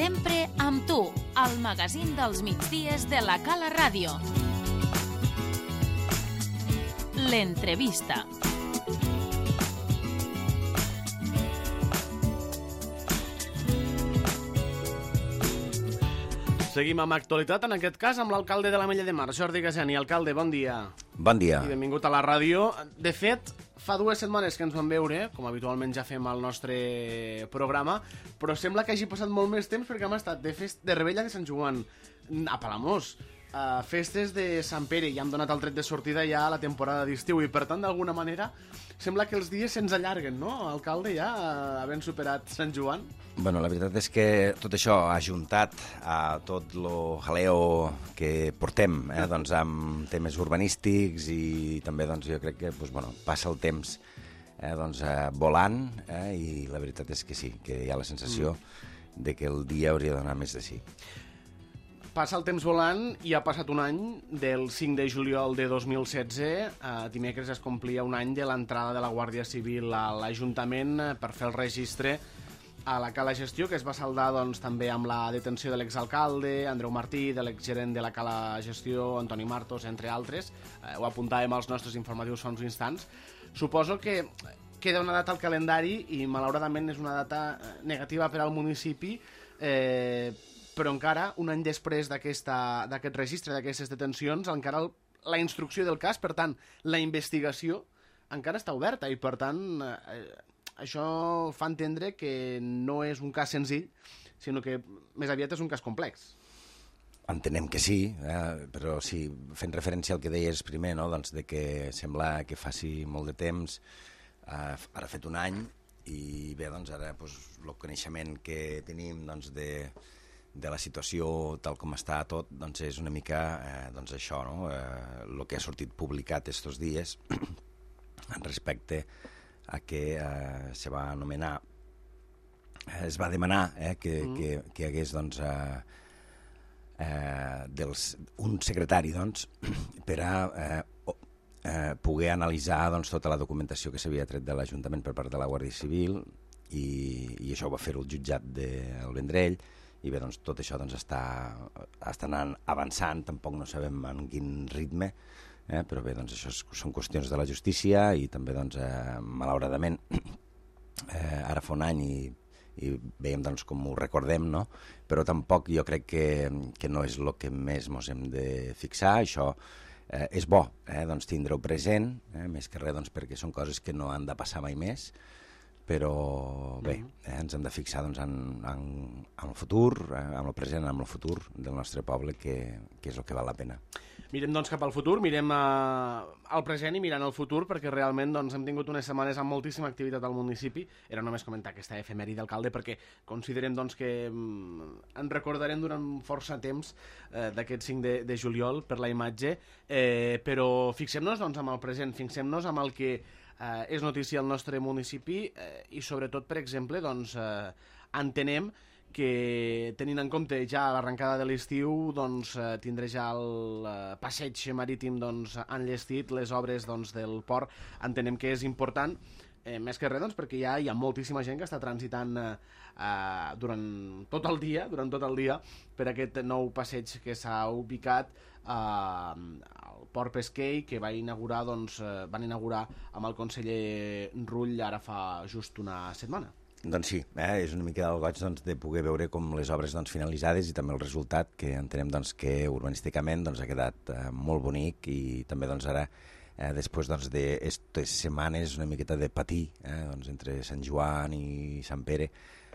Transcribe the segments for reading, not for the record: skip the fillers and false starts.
Sempre amb tu, al magazín dels migdies de la Cala Ràdio. L'entrevista. Seguim amb actualitat, en aquest cas amb l'alcalde de l'Ametlla de Mar, Jordi Gasiani. Alcalde, bon dia. Bon dia. I benvingut a la ràdio. De fet, fa 2 setmanes que ens vam veure, com habitualment ja fem al nostre programa, però sembla que hagi passat molt més temps perquè hem estat de Rebella de Sant Joan a Palamós, a festes de Sant Pere, i hem donat el tret de sortida ja a la temporada d'estiu, i per tant, d'alguna manera, sembla que els dies se'ns allarguen, no, alcalde, ja, havent superat Sant Joan? Bueno, la veritat és que tot això ha ajuntat a tot lo jaleo que portem, doncs, amb temes urbanístics, i també doncs, jo crec que passa el temps doncs, volant, i la veritat és que sí, que hi ha la sensació de que el dia hauria d'anar més de sí. Passa el temps volant i ha passat un any, del 5 de juliol de 2016, dimecres es complia un any de l'entrada de la Guàrdia Civil a l'Ajuntament per fer el registre a la Cala Gestió, que es va saldar doncs, també amb la detenció de l'exalcalde, Andreu Martí, de l'exgerent de la Cala Gestió, Antoni Martos, entre altres. Ho apuntàvem als nostres informatius fa uns instants. Suposo que queda una data al calendari i malauradament és una data negativa per al municipi, però encara, un any després d'aquest registre, d'aquestes detencions, encara la instrucció del cas, per tant, la investigació, encara està oberta, i per tant, això fa entendre que no és un cas senzill, sinó que més aviat és un cas complex. Entenem que sí, però sí, fent referència al que deies primer, no? Doncs de que sembla que faci molt de temps, ara ha fet un any, i bé, doncs ara el coneixement que tenim doncs, de la situació tal com està tot, doncs és una mica doncs això, no? El que ha sortit publicat estos dies respecte a que es va demanar que hi hagués doncs, un secretari doncs, per a poder analitzar doncs, tota la documentació que s'havia tret de l'Ajuntament per part de la Guàrdia Civil, i això ho va fer el jutjat del Vendrell. I bé, doncs, tot això doncs, està anant avançant, tampoc no sabem en quin ritme, però bé, doncs, això són qüestions de la justícia, i també, doncs, malauradament, ara fa un any i veiem doncs, com ho recordem, no? Però tampoc jo crec que no és el que més ens hem de fixar. Això és bo, doncs, tindre-ho present, més que res doncs, perquè són coses que no han de passar mai més, però bé, ens hem de fixar doncs, en el futur, en el present, en el futur del nostre poble, que és el que val la pena. Mirem doncs cap al futur, mirem al present i mirant el futur, perquè realment doncs, hem tingut unes setmanes amb moltíssima activitat al municipi. Era només comentar aquesta efemèride d'alcalde, perquè considerem doncs, que en recordarem durant força temps d'aquest 5 de juliol per la imatge, però fixem-nos doncs, amb el present, fixem-nos amb el que és notícia al nostre municipi, i sobretot, per exemple, doncs, entenem que, tenint en compte ja l'arrencada de l'estiu, doncs, tindré ja el passeig marítim doncs, enllestit, les obres doncs, del port, entenem que és important, més que res doncs, perquè ja hi ha moltíssima gent que està transitant durant tot el dia per aquest nou passeig que s'ha ubicat al Port Pesquer, que van inaugurar amb el conseller Rull ara fa just una setmana. Doncs sí, és una mica el goig doncs, de poder veure com les obres doncs, finalitzades, i també el resultat, que entenem doncs, que urbanísticament doncs, ha quedat molt bonic, i també doncs, ara després doncs, d'aquestes setmanes una miqueta de patir doncs, entre Sant Joan i Sant Pere,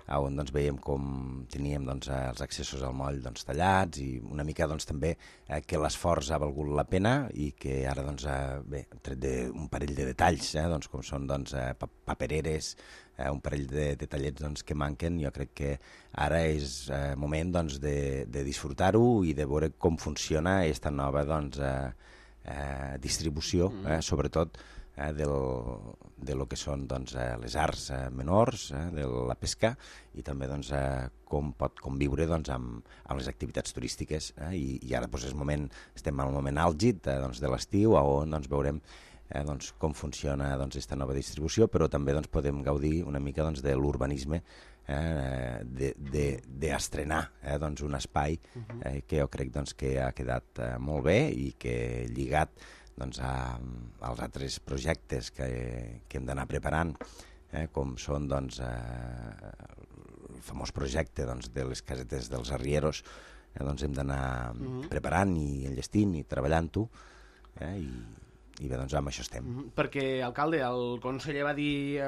on doncs, veiem com teníem doncs, els accessos al moll doncs, tallats, i una mica doncs, també que l'esforç ha valgut la pena, i que ara doncs, bé, tret d'un parell de detalls, doncs, com són doncs, papereres, un parell de detallets doncs, que manquen, jo crec que ara és moment doncs, de disfrutar-ho i de veure com funciona aquesta nova doncs, distribució, sobretot de lo que són doncs, les arts menors, de la pesca, i també doncs, com pot conviure doncs, amb les activitats turístiques. I ara doncs, estem en el moment àlgid doncs, de l'estiu, on doncs, veurem com funciona aquesta nova distribució, però també podem gaudir una mica de l'urbanisme d'estrenar doncs un espai que jo crec doncs, que ha quedat molt bé i que lligat doncs, als altres projectes que hem d'anar preparant, com són doncs, el famós projecte doncs, de les casetes dels arrieros, doncs hem d'anar preparant i enllestint i treballant-ho, i bé, doncs amb això estem. Perquè, alcalde, el conseller va dir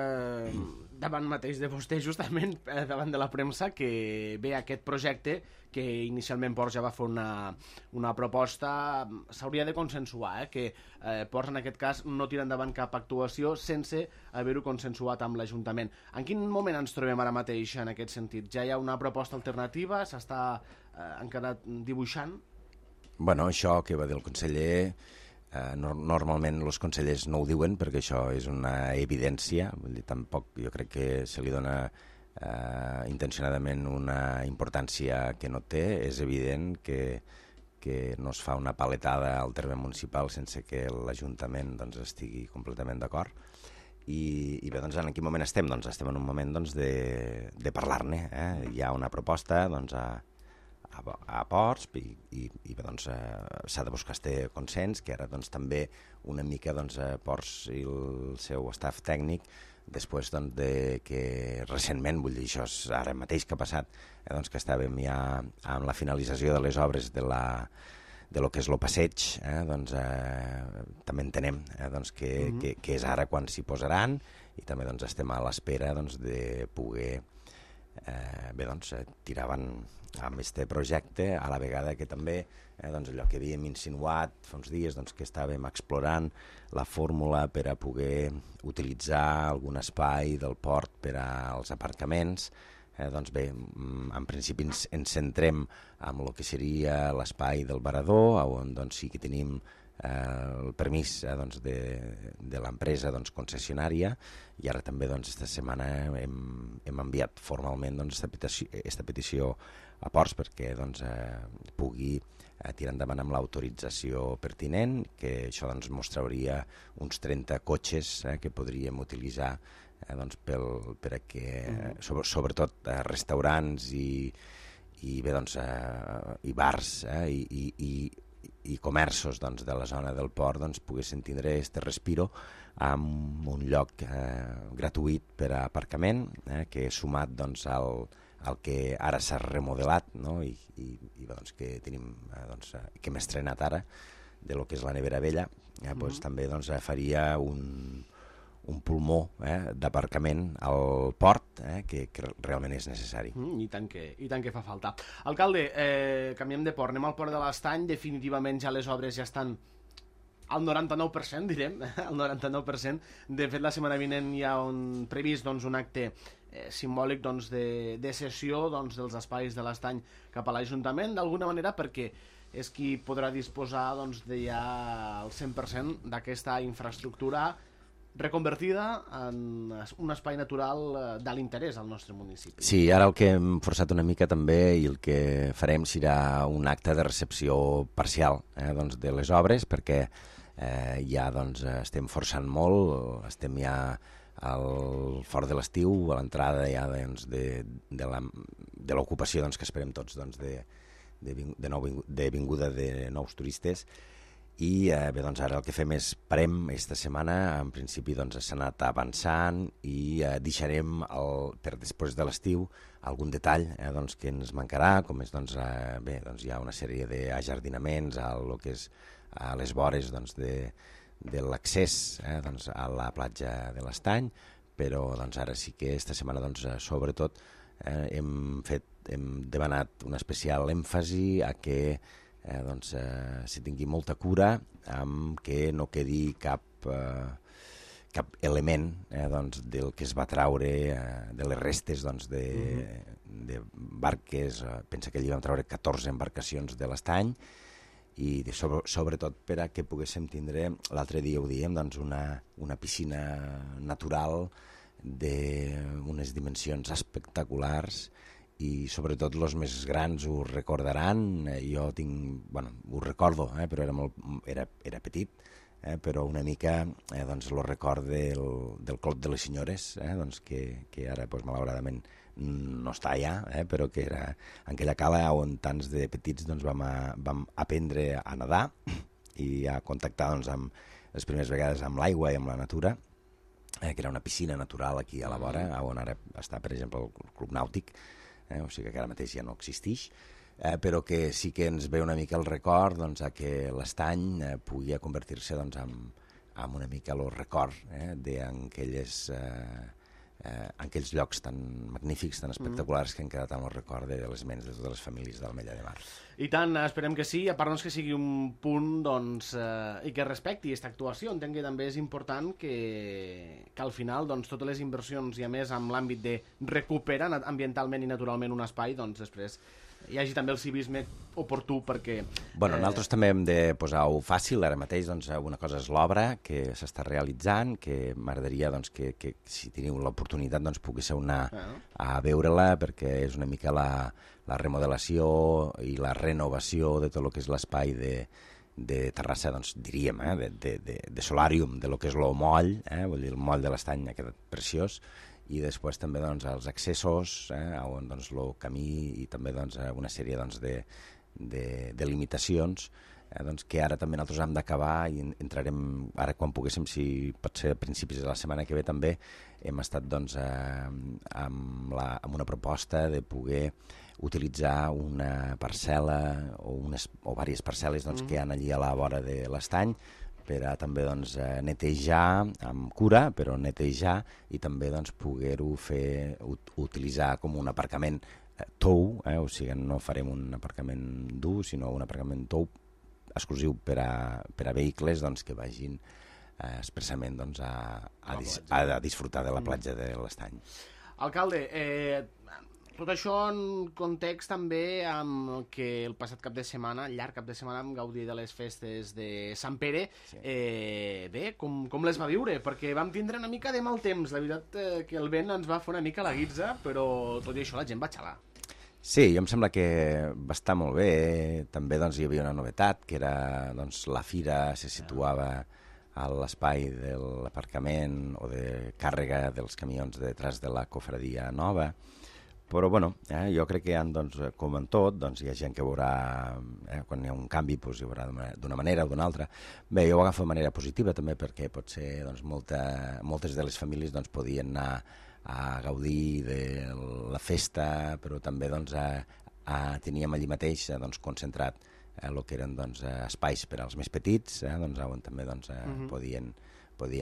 davant mateix de vostè, justament davant de la premsa, que bé, aquest projecte, que inicialment Ports ja va fer una proposta, s'hauria de consensuar, que Ports en aquest cas no tira endavant cap actuació sense haver-ho consensuat amb l'Ajuntament. En quin moment ens trobem ara mateix en aquest sentit? Ja hi ha una proposta alternativa? S'està encara dibuixant? Bueno, això que va dir el conseller, normalment els consellers no ho diuen perquè això és una evidència, vull dir, tampoc jo crec que se li dona intencionadament una importància que no té. És evident que no es fa una paletada al terme municipal sense que l'Ajuntament doncs, estigui completament d'acord. I bé, doncs, en quin moment estem? Doncs estem en un moment doncs, de parlar-ne. Hi ha una proposta doncs, a Ports i bé, doncs, s'ha de buscar este consens, que ara doncs, també una mica doncs, Ports i el seu staff tècnic, després doncs, de que recentment, vull dir, això és ara mateix que ha passat, doncs, que estàvem ja amb la finalització de les obres de lo que és el passeig, doncs, també entenem doncs, que és ara quan s'hi posaran, i també doncs, estem a l'espera doncs, de poder bé, doncs, tirar avant amb aquest projecte, a la vegada que també doncs, allò que havíem insinuat fa uns dies, doncs, que estàvem explorant la fórmula per a poder utilitzar algun espai del port per als aparcaments. Doncs bé, en principi ens centrem en el que seria l'espai del Varador, on doncs, sí que tenim el permís doncs, de l'empresa doncs, concessionària, i ara també doncs, esta setmana hem enviat formalment doncs, esta petició a Ports perquè doncs, pugui tirar endavant amb l'autorització pertinent, que això doncs, mos trauria uns 30 cotxes que podríem utilitzar doncs, per a que, sobretot restaurants i bé, doncs, i bars i comerços doncs, de la zona del port doncs, poguessin tindre aquest respiro amb un lloc gratuït per a aparcament, que sumat doncs, al que ara s'ha remodelat, no? I doncs, que tenim doncs, que hem estrenat ara de lo que és la nevera vella, doncs, també doncs, faria un pulmó d'aparcament al port que realment és necessari. I tant que fa falta. Alcalde, canviem de port, anem al port de l'Estany. Definitivament ja les obres ja estan al 99%, direm, al 99%. De fet, la setmana vinent hi ha previst doncs, un acte simbòlic doncs, de cessió doncs, dels espais de l'Estany cap a l'Ajuntament, d'alguna manera perquè és qui podrà disposar doncs, de ja el 100% d'aquesta infraestructura reconvertida en un espai natural de l'interès al nostre municipi. Sí, ara el que hem forçat una mica també i el que farem serà un acte de recepció parcial doncs, de les obres, perquè ja doncs, estem forçant molt, estem ja al fort de l'estiu, a l'entrada ja doncs, de l'ocupació doncs, que esperem tots doncs, de vinguda de nous turistes. I bé, doncs ara el que fem és parem aquesta setmana, en principi doncs, s'ha anat avançant i deixarem per després de l'estiu algun detall doncs, que ens mancarà, com és doncs, bé, doncs, hi ha una sèrie d'ajardinaments a lo que és a les vores doncs, de l'accés doncs, a la platja de l'Estany, però doncs, ara sí que aquesta setmana doncs, sobretot hem demanat un especial èmfasi a que doncs, se tingui molta cura amb que no quedi cap element doncs, del que es va traure de les restes doncs, de barques. Pensa que allí vam traure 14 embarcacions de l'Estany i sobretot per a que poguéssim tindre, l'altre dia ho diem, doncs, una piscina natural d'unes dimensions espectaculars, i sobretot els més grans ho recordaran. Jo ho recordo, però era petit, però una mica doncs, el record del Clot de les Senyores, doncs, que ara doncs, malauradament no està allà, però que era en aquella cala on tants de petits doncs, vam aprendre a nedar i a contactar doncs, amb les primeres vegades amb l'aigua i amb la natura, que era una piscina natural aquí a la vora, on ara està, per exemple, el Club Nàutic, o sigui que ara mateix ja no existeix, però que sí que ens ve una mica el record doncs, a que l'Estany pugui convertir-se doncs, en una mica el record d'aquells llocs tan magnífics, tan espectaculars que han quedat en el record de les ments de totes les famílies del Mella de Mar. I tant, esperem que sí, a part doncs, que sigui un punt doncs, i que respecti aquesta actuació. Entenc que també és important que al final doncs, totes les inversions, i a més amb l'àmbit de recuperar ambientalment i naturalment un espai, doncs després hi hagi també el civisme oportú perquè... Nosaltres també hem de posar-ho fàcil. Ara mateix doncs, una cosa és l'obra que s'està realitzant, que m'agradaria doncs, que si teniu l'oportunitat doncs, poguéssiu anar a veure-la, perquè és una mica la remodelació i la renovació de tot el que és l'espai de Terrassa, doncs, diríem, de solàrium, de lo que és el moll, vull dir, el moll de l'Estany ha quedat preciós, i després també doncs, els accessos, on doncs, el camí i també doncs, una sèrie doncs, de limitacions doncs, que ara també nosaltres hem d'acabar i entrarem, ara quan poguéssim, si pot ser a principis de la setmana que ve també, hem estat doncs, amb una proposta de poder utilitzar una parcel·la o diverses parcel·les doncs, que hi ha allí a la vora de l'Estany per a també doncs, netejar amb cura, però netejar i també doncs, poder-ho utilitzar com un aparcament tou, o sigui, no farem un aparcament dur, sinó un aparcament tou exclusiu per a vehicles doncs, que vagin expressament doncs, a disfrutar de la platja de l'Estany. Alcalde, tot això en context també amb que el passat cap de setmana, el llarg cap de setmana, vam gaudir de les festes de Sant Pere. Sí. Bé, com les va viure? Perquè vam tindre una mica de mal temps. La veritat que el vent ens va fer una mica la guitza, però tot i això la gent va xalar. Sí, jo em sembla que va estar molt bé. També doncs, hi havia una novetat, que era doncs, la fira se situava a l'espai de l'aparcament o de càrrega dels camions detrás de la cofradia nova. Però bueno, jo crec que doncs, com en tot, doncs, hi ha gent que veurà, quan hi ha un canvi, doncs, hi haurà d'una manera o d'una altra. Bé, jo ho agafo de manera positiva també perquè potser doncs, moltes de les famílies doncs, podien anar a gaudir de la festa, però també doncs, teníem allí mateix doncs, concentrat el que eren doncs, espais per als més petits, doncs, on també doncs, podien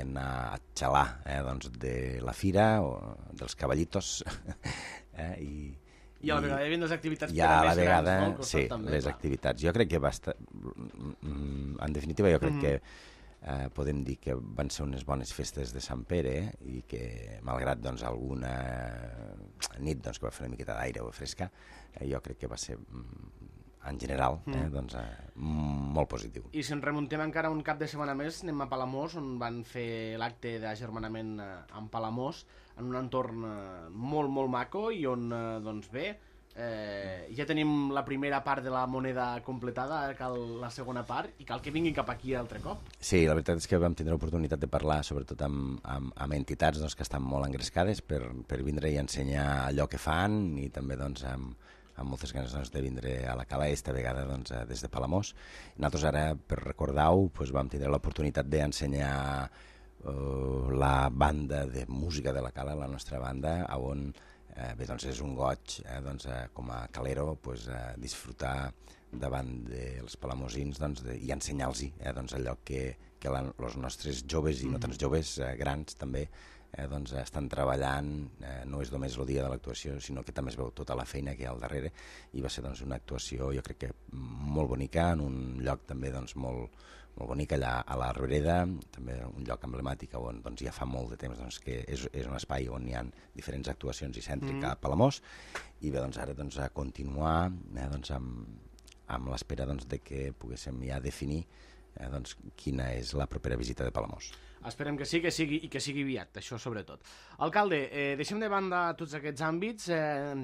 anar a xalar doncs, de la fira o dels cavallitos i a la vegada hi havia les activitats per a més grans, no? Sí, també, les activitats. Jo crec que va estar... En definitiva, jo crec que podem dir que van ser unes bones festes de Sant Pere i que, malgrat doncs, alguna nit doncs, que va fer una miqueta d'aire o fresca, jo crec que va ser... en general, doncs, molt positiu. I si ens remuntem encara un cap de setmana més, anem a Palamós, on van fer l'acte d'agermanament amb Palamós, en un entorn molt, molt maco, i on, doncs bé, ja tenim la primera part de la moneda completada, cal la segona part, i cal que vinguin cap aquí altre cop. Sí, la veritat és que vam tindre l'oportunitat de parlar, sobretot amb entitats doncs, que estan molt engrescades per vindre i ensenyar allò que fan, i també doncs, amb moltes ganes doncs, de vindre a la cala, esta vegada doncs, des de Palamós. Nosaltres ara, per recordar-ho, doncs, vam tindre l'oportunitat d'ensenyar la banda de música de la cala, la nostra banda, on bé, doncs, és un goig doncs, com a calero doncs, disfrutar davant dels palamosins doncs, i ensenyar-los doncs, allò que els nostres joves i no tants joves, grans també, doncs, estan treballant. No és només el dia de l'actuació, sinó que també es veu tota la feina que hi ha al darrere, i va ser doncs, una actuació jo crec que molt bonica, en un lloc també doncs, molt bonic allà a la Roreda, també un lloc emblemàtic on doncs, ja fa molt de temps doncs, que és un espai on hi ha diferents actuacions i cèntrica a Palamós, i bé, doncs, ara doncs, a continuar doncs, amb l'espera doncs, de que poguéssim ja definir doncs, quina és la propera visita de Palamós. Esperem que sí, i que sigui aviat, això sobretot. Alcalde, deixem de banda tots aquests àmbits,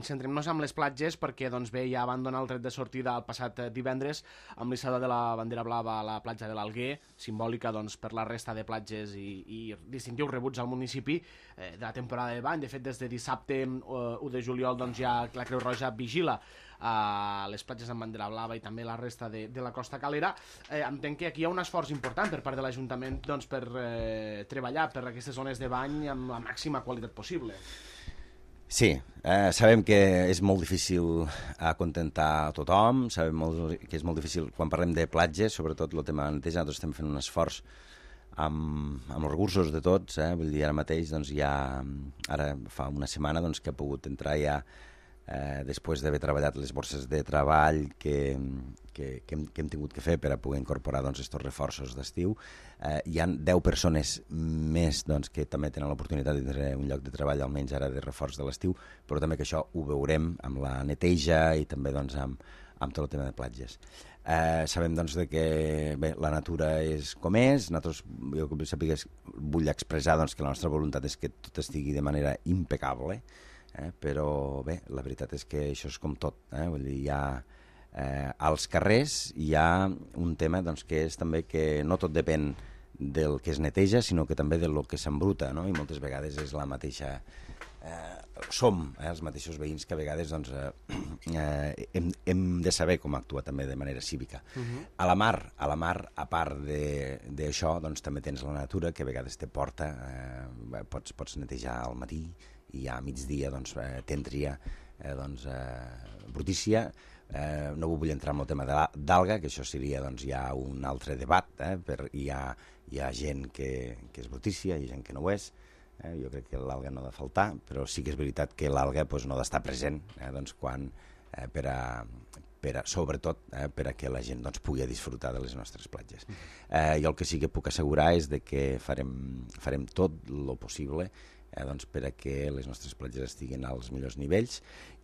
centrem-nos en les platges, perquè doncs, bé, ja van donar el tret de sortida el passat divendres amb l'issada de la bandera blava a la platja de l'Alguer, simbòlica doncs, per la resta de platges i distintius rebuts al municipi de la temporada de bany. De fet, des de dissabte 1 de juliol doncs, ja la Creu Roja vigila a les platges amb bandera blava i també la resta de la Costa Calera. Entenc que aquí hi ha un esforç important per part de l'Ajuntament doncs, per treballar per aquestes zones de bany amb la màxima qualitat possible. Sí, sabem que és molt difícil acontentar a tothom, sabem que és molt difícil quan parlem de platges, sobretot el tema de neteja. Nosaltres estem fent un esforç amb els recursos de tots, vull dir, ara mateix doncs, ara fa una setmana doncs, que ha pogut entrar ja després d'haver treballat les borses de treball que hem tingut que fer per a poder incorporar doncs, estos reforços d'estiu. Hi ha 10 persones més doncs, que també tenen l'oportunitat de tenir un lloc de treball almenys ara de reforç de l'estiu, però també que això ho veurem amb la neteja i també doncs, amb tot el tema de platges. Sabem doncs, que bé, la natura és com és. Nosaltres, jo que sàpigues, vull expressar doncs, que la nostra voluntat és que tot estigui de manera impecable, però bé, la veritat és que això és com tot, vull dir, als carrers hi ha un tema doncs, que és també que no tot depèn del que es neteja, sinó que també del que s'embruta, no? I moltes vegades és la mateixa som els mateixos veïns que a vegades doncs, hem de saber com actuar també de manera cívica. A la mar, a part d'això, doncs, també tens la natura que a vegades te porta, pots netejar al matí i a migdia doncs, tindria brutícia. No vull entrar en el tema d'alga, que això seria doncs, ja un altre debat, hi ha gent que és brutícia, hi ha gent que no ho és. Jo crec que l'alga no ha de faltar, però sí que és veritat que l'alga doncs, no ha d'estar present doncs, sobretot per a que la gent doncs, pugui disfrutar de les nostres platges. Jo el que sí que puc assegurar és que farem tot el possible doncs, per a que les nostres platges estiguin als millors nivells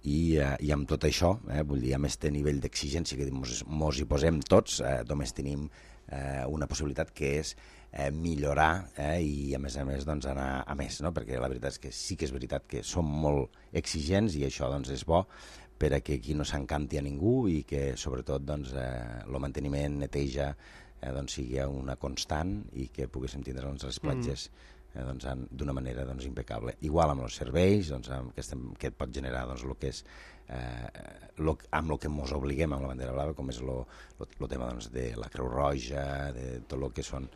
i amb tot això, vull dir, amb aquest nivell d'exigència que mos hi posem tots, només tenim una possibilitat que és millorar i a més doncs, anar a més, no? Perquè la veritat és que sí que és veritat que som molt exigents i això doncs, és bo per a que aquí no s'encanti a ningú i que sobretot doncs, el manteniment, neteja doncs, sigui una constant i que poguéssim tindre doncs, les platges doncs, d'una manera doncs, impecable. Igual amb els serveis doncs, que pot generar doncs, el que és amb el que ens obliguem amb la bandera blava, com és el tema doncs, de la Creu Roja, de tot el que són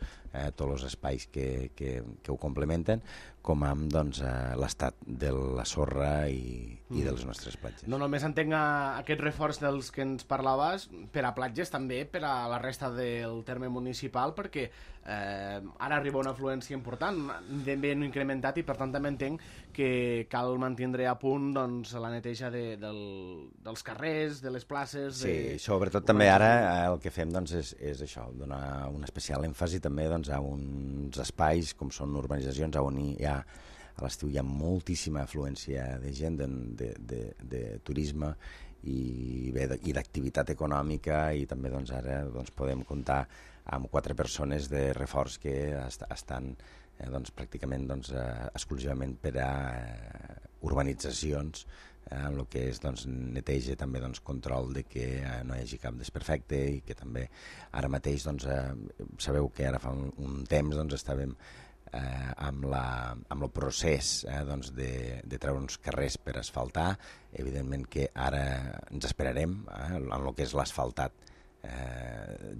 tots els espais que ho complementen, com amb doncs, l'estat de la sorra i de les nostres platges. No només entenc aquest reforç dels que ens parlaves per a platges, també per a la resta del terme municipal, perquè ara arriba una afluència important, ben incrementat, i per tant també entenc que cal mantindre a punt doncs, la neteja dels carrers, de les places... Sí, sobretot també ara el que fem doncs, és això, donar un especial èmfasi també doncs, a uns espais com són urbanitzacions on a l'estiu hi ha moltíssima afluència de gent, de turisme i d'activitat econòmica, i també doncs, ara doncs, podem comptar amb 4 persones de reforç que estan doncs, pràcticament doncs, exclusivament per a urbanitzacions, amb el que és doncs, neteja, també doncs, control de que no hi hagi cap desperfecte, i que també ara mateix doncs, sabeu que ara fa un temps doncs, estàvem amb el procés doncs, de treure uns carrers per asfaltar. Evidentment que ara ens esperarem en el que és l'asfaltat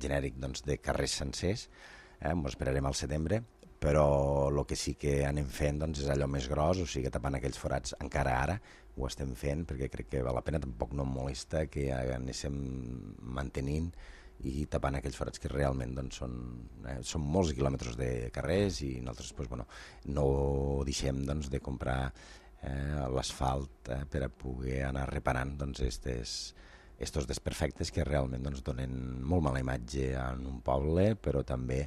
genèric doncs, de carrers sencers, ens esperarem al setembre, però el que sí que anem fent doncs, és allò més gros, o sigui, tapant aquells forats encara ara, ho estem fent perquè crec que val la pena, tampoc no em molesta que anéssim mantenint i tapant aquells forats que realment doncs, són molts quilòmetres de carrers, i nosaltres doncs, bueno, no deixem doncs, de comprar l'asfalt per a poder anar reparant doncs, estos desperfectes que realment doncs, donen molt mala imatge en un poble, però també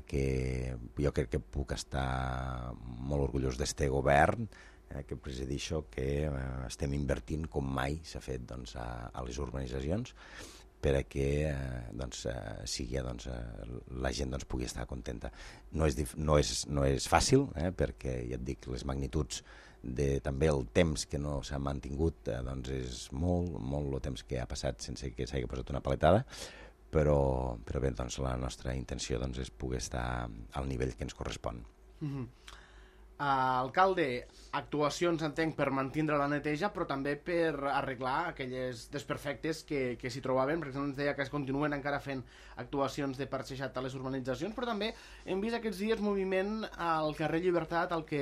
que jo crec que puc estar molt orgullós d'este govern que presideixo, que estem invertint com mai s'ha fet doncs, a les urbanitzacions, per a que sigui, la gent pugui estar contenta. No és fàcil, perquè ja et dic, les magnituds també el temps que no s'ha mantingut és molt el temps que ha passat sense que s'hagi posat una paletada, però bé, la nostra intenció és poder estar al nivell que ens correspon. Alcalde, actuacions, entenc, per mantindre la neteja, però també per arreglar aquelles desperfectes que s'hi trobaven, perquè ens deia que es continuen encara fent actuacions de parxejat a les urbanitzacions, però també hem vist aquests dies moviment al carrer Llibertat, el que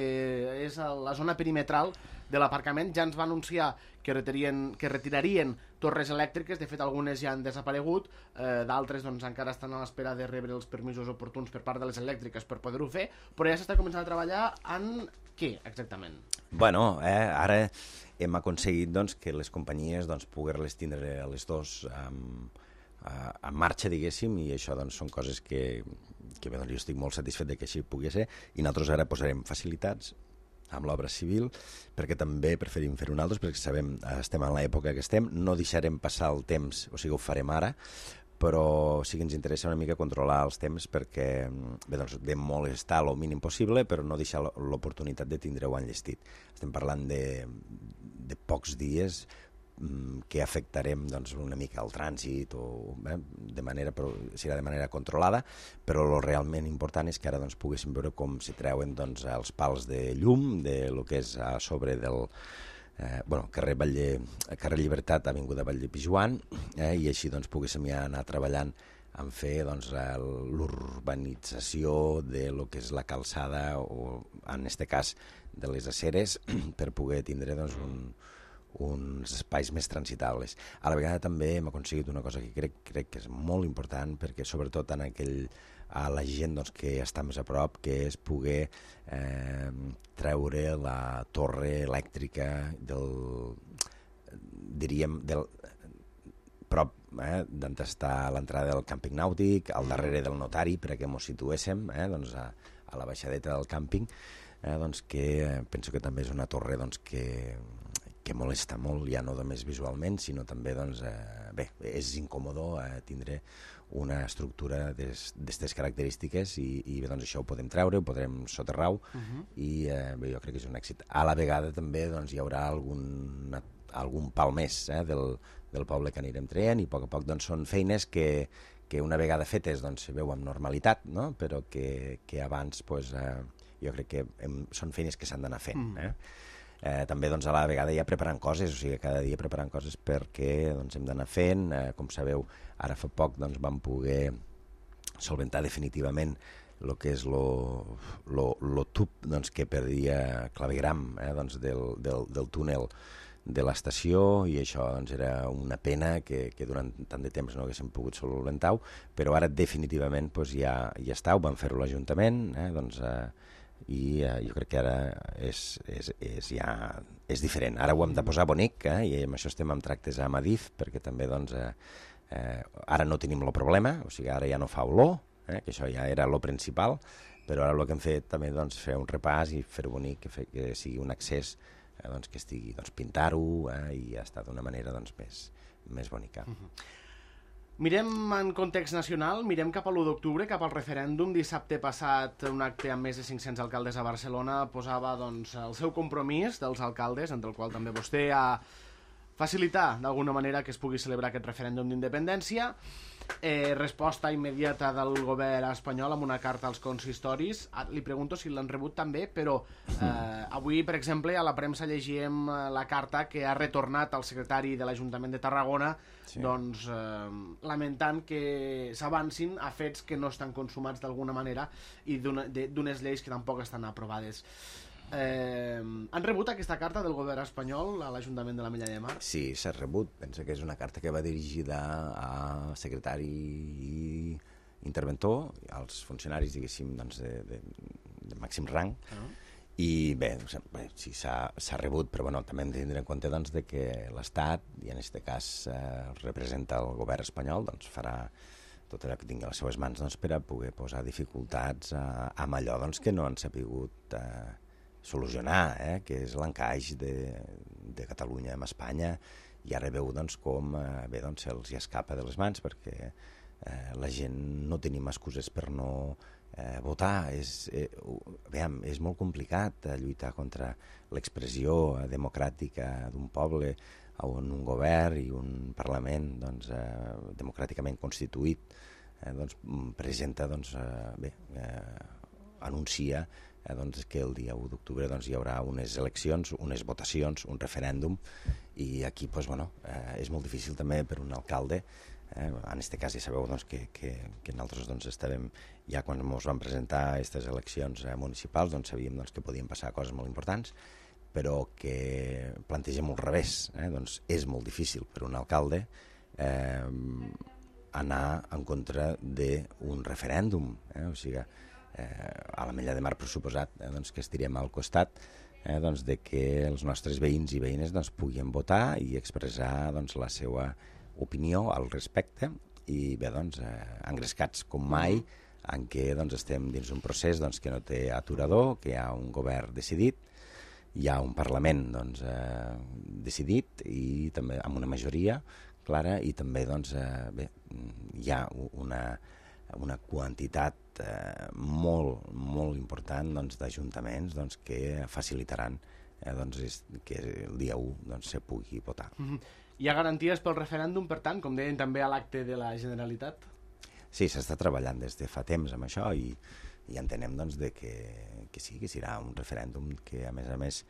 és la zona perimetral de l'aparcament. Ja ens va anunciar que retirarien torres elèctriques, de fet algunes ja han desaparegut, d'altres encara estan a l'espera de rebre els permisos oportuns per part de les elèctriques per poder-ho fer, però ja s'està començant a treballar en què exactament? Bueno, ara hem aconseguit que les companyies poder-les tindre a les dos en marxa, diguéssim, i això són coses que bé, jo estic molt satisfet de que així pugui ser, i nosaltres ara posarem facilitats amb l'obra civil, perquè també preferim fer-ho nosaltres, perquè sabem, estem en l'època que estem, no deixarem passar el temps, o sigui, ho farem ara, però sí que ens interessa una mica controlar els temps perquè bé, de molestar el mínim possible, però no deixar l'oportunitat de tindre-ho enllestit. Estem parlant de pocs dies que afectarem una mica el trànsit serà de manera controlada, però el realment important és que ara poguéssim veure com se treuen els pals de llum de lo que és a sobre del carrer Llibertat, avinguda Valldepijuan, i així poguéssim ja anar treballant en fer l'urbanització de lo que és la calçada, o en este cas de les aceres, per poder tindre uns espais més transitables. A la vegada també hem aconseguit una cosa que crec que és molt important, perquè sobretot a la gent que està més a prop, que és poder treure la torre elèctrica prop d'on està l'entrada del càmping nàutic, al darrere del notari, perquè ens situéssim a la baixadeta del càmping, que penso que també és una torre que molesta molt, ja no només visualment, sinó també, és incòmodo tindre una estructura d'aquestes característiques i bé, això ho podem treure, ho podrem soterrar i bé, jo crec que és un èxit. A la vegada també hi haurà algun pal més del poble que anirem traient i a poc són feines que una vegada fetes se veu amb normalitat, no? Però que abans jo crec que són feines que s'han d'anar fent. També a la vegada ja preparant coses, o sigui, cada dia preparant coses perquè hem d'anar fent. Com sabeu, ara fa poc vam poder solventar definitivament el que és el tub que perdia clavegram del túnel de l'estació, i això era una pena que durant tant de temps no haguéssim pogut solventar-ho, però ara definitivament ja està, ho vam fer-ho a l'Ajuntament, i jo crec que ara és diferent. Ara ho hem de posar bonic, i amb això estem en tractes amb Adif, perquè també ara no tenim el problema, o sigui, ara ja no fa olor, que això ja era lo principal, però ara el que hem fet també fer un repàs i fer-ho bonic, que sigui un accés que estigui, pintar-ho i ja està d'una manera més bonica. Mirem en context nacional, mirem cap a l'1 d'octubre, cap al referèndum. Dissabte passat, un acte amb més de 500 alcaldes a Barcelona posava el seu compromís dels alcaldes, entre el qual també vostè, a facilitar d'alguna manera que es pugui celebrar aquest referèndum d'independència. Resposta immediata del govern espanyol amb una carta als consistoris. Li pregunto si l'han rebut també, però avui, per exemple, a la premsa llegíem la carta que ha retornat el secretari de l'Ajuntament de Tarragona, lamentant que s'avancin a fets que no estan consumats d'alguna manera i d'unes lleis que tampoc estan aprovades. Han rebut aquesta carta del govern espanyol a l'Ajuntament de l'Ametlla de Mar? Sí, s'ha rebut. Penso que és una carta que va dirigida a secretari i interventor, als funcionaris, diguéssim, de màxim rang. I bé, sí, s'ha rebut, però també hem de tindre en compte que l'Estat, i en aquest cas representa el govern espanyol, farà tot allò que tingui a les seves mans per a poder posar dificultats amb allò que no han sapigut solucionar, que és l'encaix de Catalunya amb Espanya i ara veu doncs, com se'ls hi escapa de les mans perquè la gent no tenim excuses per no votar. És molt complicat lluitar contra l'expressió democràtica d'un poble on un govern i un Parlament democràticament constituït presenta, anuncia que el dia 1 d'octubre hi haurà unes eleccions, unes votacions, un referèndum, i aquí és molt difícil també per un alcalde. En aquest cas ja sabeu que nosaltres estàvem, ja quan ens vam presentar aquestes eleccions municipals, sabíem que podien passar coses molt importants, però que plantegem al revés. És molt difícil per un alcalde anar en contra d'un referèndum. O sigui, a l'Ametlla de Mar, per suposat, que estirem al costat de que els nostres veïns i veïnes puguin votar i expressar la seva opinió al respecte, i bé, engrescats com mai en què estem dins un procés que no té aturador, que hi ha un govern decidit, hi ha un Parlament decidit i també amb una majoria clara, i també hi ha una quantitat molt, molt important d'ajuntaments que facilitaran que el dia 1 se pugui votar. Hi ha garanties pel referèndum, per tant, com deien també a l'acte de la Generalitat? Sí, s'està treballant des de fa temps amb això i entenem que sí, que serà un referèndum que, a més,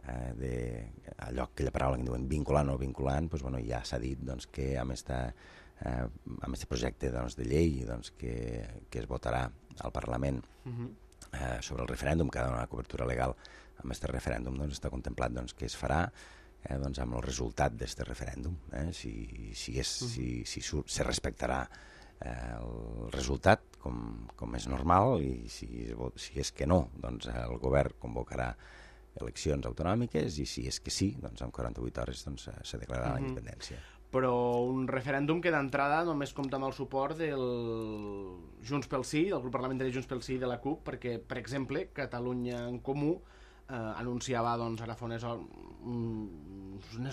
allò, aquella paraula que diuen vinculant o vinculant, ja s'ha dit que amb aquest projecte de llei que es votarà al Parlament sobre el referèndum, que ha de donar cobertura legal amb aquest referèndum, està contemplat que es farà amb el resultat d'aquest referèndum. Si se respectarà el resultat com és normal, i si és que no, el govern convocarà eleccions autonòmiques, i si és que sí, en 48 hores se declararà la independència. Però un referèndum que d'entrada només compta amb el suport del Junts pel Sí, del grup parlamentari Junts pel Sí i de la CUP, perquè, per exemple, Catalunya en Comú anunciava ara fa unes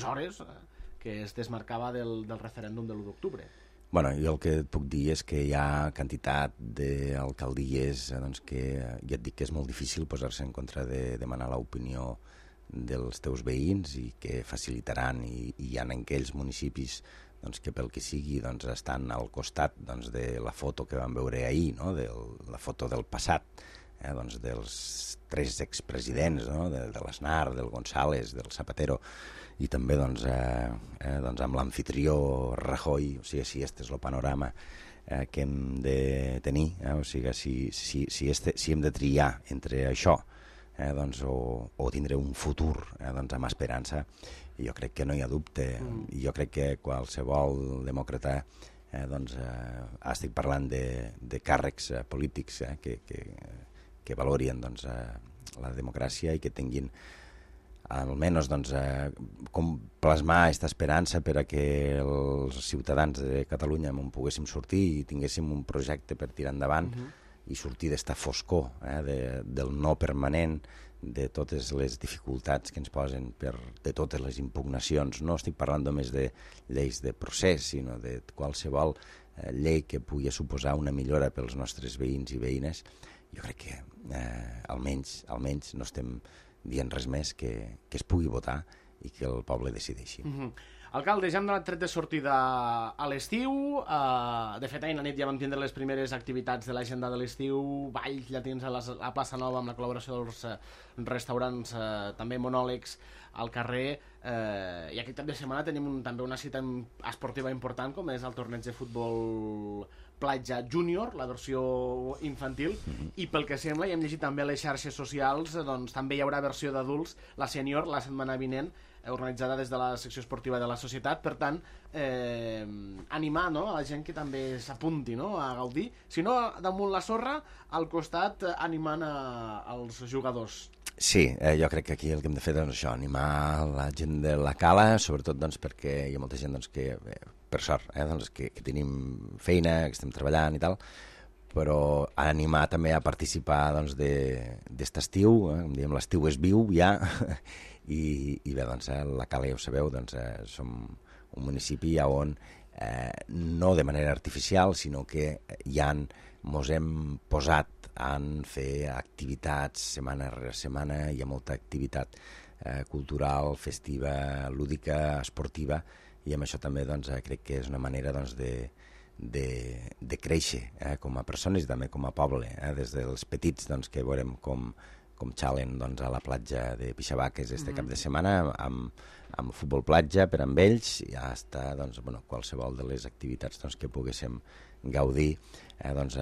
hores que es desmarcava del referèndum de l'1 d'octubre. Bueno, jo el que et puc dir és que hi ha quantitat d'alcaldies que ja et dic que és molt difícil posar-se en contra de demanar l'opinió dels teus veïns, i que facilitaran, i hi ha en aquells municipis que pel que sigui estan al costat de la foto que vam veure ahir, de la foto del passat, dels 3 expresidents, de l'Aznar, del González, del Zapatero, i també amb l'amfitrió Rajoy. O sigui, si este és el panorama que hem de tenir, o sigui, si hem de triar entre això o tindre un futur amb esperança, jo crec que no hi ha dubte. Jo crec que qualsevol demòcrata, estic parlant de càrrecs polítics que valorien la democràcia i que tinguin almenys com plasmar aquesta esperança per a que els ciutadans de Catalunya en poguéssim sortir i tinguéssim un projecte per tirar endavant i sortir d'esta foscor del no permanent, de totes les dificultats que ens posen, de totes les impugnacions. No estic parlant només de lleis de procés, sinó de qualsevol llei que pugui suposar una millora pels nostres veïns i veïnes. Jo crec que almenys no estem dient res més que es pugui votar i que el poble decideixi. Alcalde, ja hem donat tret de sortida a l'estiu. De fet, ahir a la nit ja vam tindre les primeres activitats de l'agenda de l'estiu, balls llatins a la plaça Nova amb la col·laboració dels restaurants, també monòlegs al carrer, i aquest cap de setmana tenim també una cita esportiva important, com és el torneig de futbol platja júnior, la versió infantil, i pel que sembla, i hem llegit també a les xarxes socials, doncs també hi haurà versió d'adults, la sènior, la setmana vinent, organitzada des de la secció esportiva de la societat. Per tant, animar a la gent que també s'apunti a gaudir, si no damunt la sorra, al costat animant els jugadors. Sí, jo crec que aquí el que hem de fer és això, animar la gent de la cala, sobretot perquè hi ha molta gent que, per sort, que tenim feina, que estem treballant i tal, però animar també a participar doncs, d'est estiu, diem l'estiu és viu ja, i bé, doncs, la Cala, ja ho sabeu, doncs, som un municipi on no de manera artificial, sinó que mos hem posat a fer activitats setmana rere setmana, hi ha molta activitat cultural, festiva, lúdica, esportiva, i amb això també doncs, crec que és una manera doncs, de créixer com a persones i també com a poble, des dels petits doncs, que veurem com xalen doncs, a la platja de Pixabaques este cap de setmana amb futbol platja per amb ells i hasta doncs, qualsevol de les activitats doncs, que poguéssim gaudir, doncs,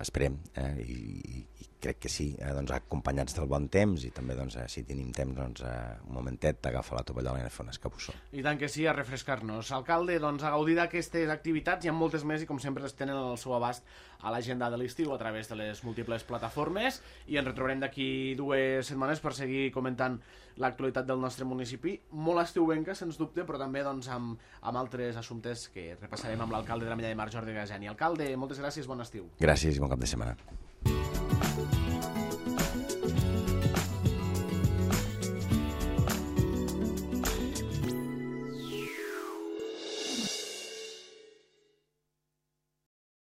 esperem, i crec que sí, doncs, acompanyats del bon temps i també doncs, si tenim temps doncs, un momentet d'agafar la tovallola i anar a fer un escabussó. I tant que sí, a refrescar-nos. Alcalde, doncs, a gaudir d'aquestes activitats, hi ha moltes més i com sempre es tenen al seu abast a l'agenda de l'estiu a través de les múltiples plataformes i ens retrobarem d'aquí 2 setmanes per seguir comentant l'actualitat del nostre municipi, molt estiuenca, sens dubte, però també doncs, amb altres assumptes que repassarem amb l'alcalde de la Mella de Mar, Jordi Gaseni. Alcalde, moltes gràcies, bon estiu. Gràcies i bon cap de setmana.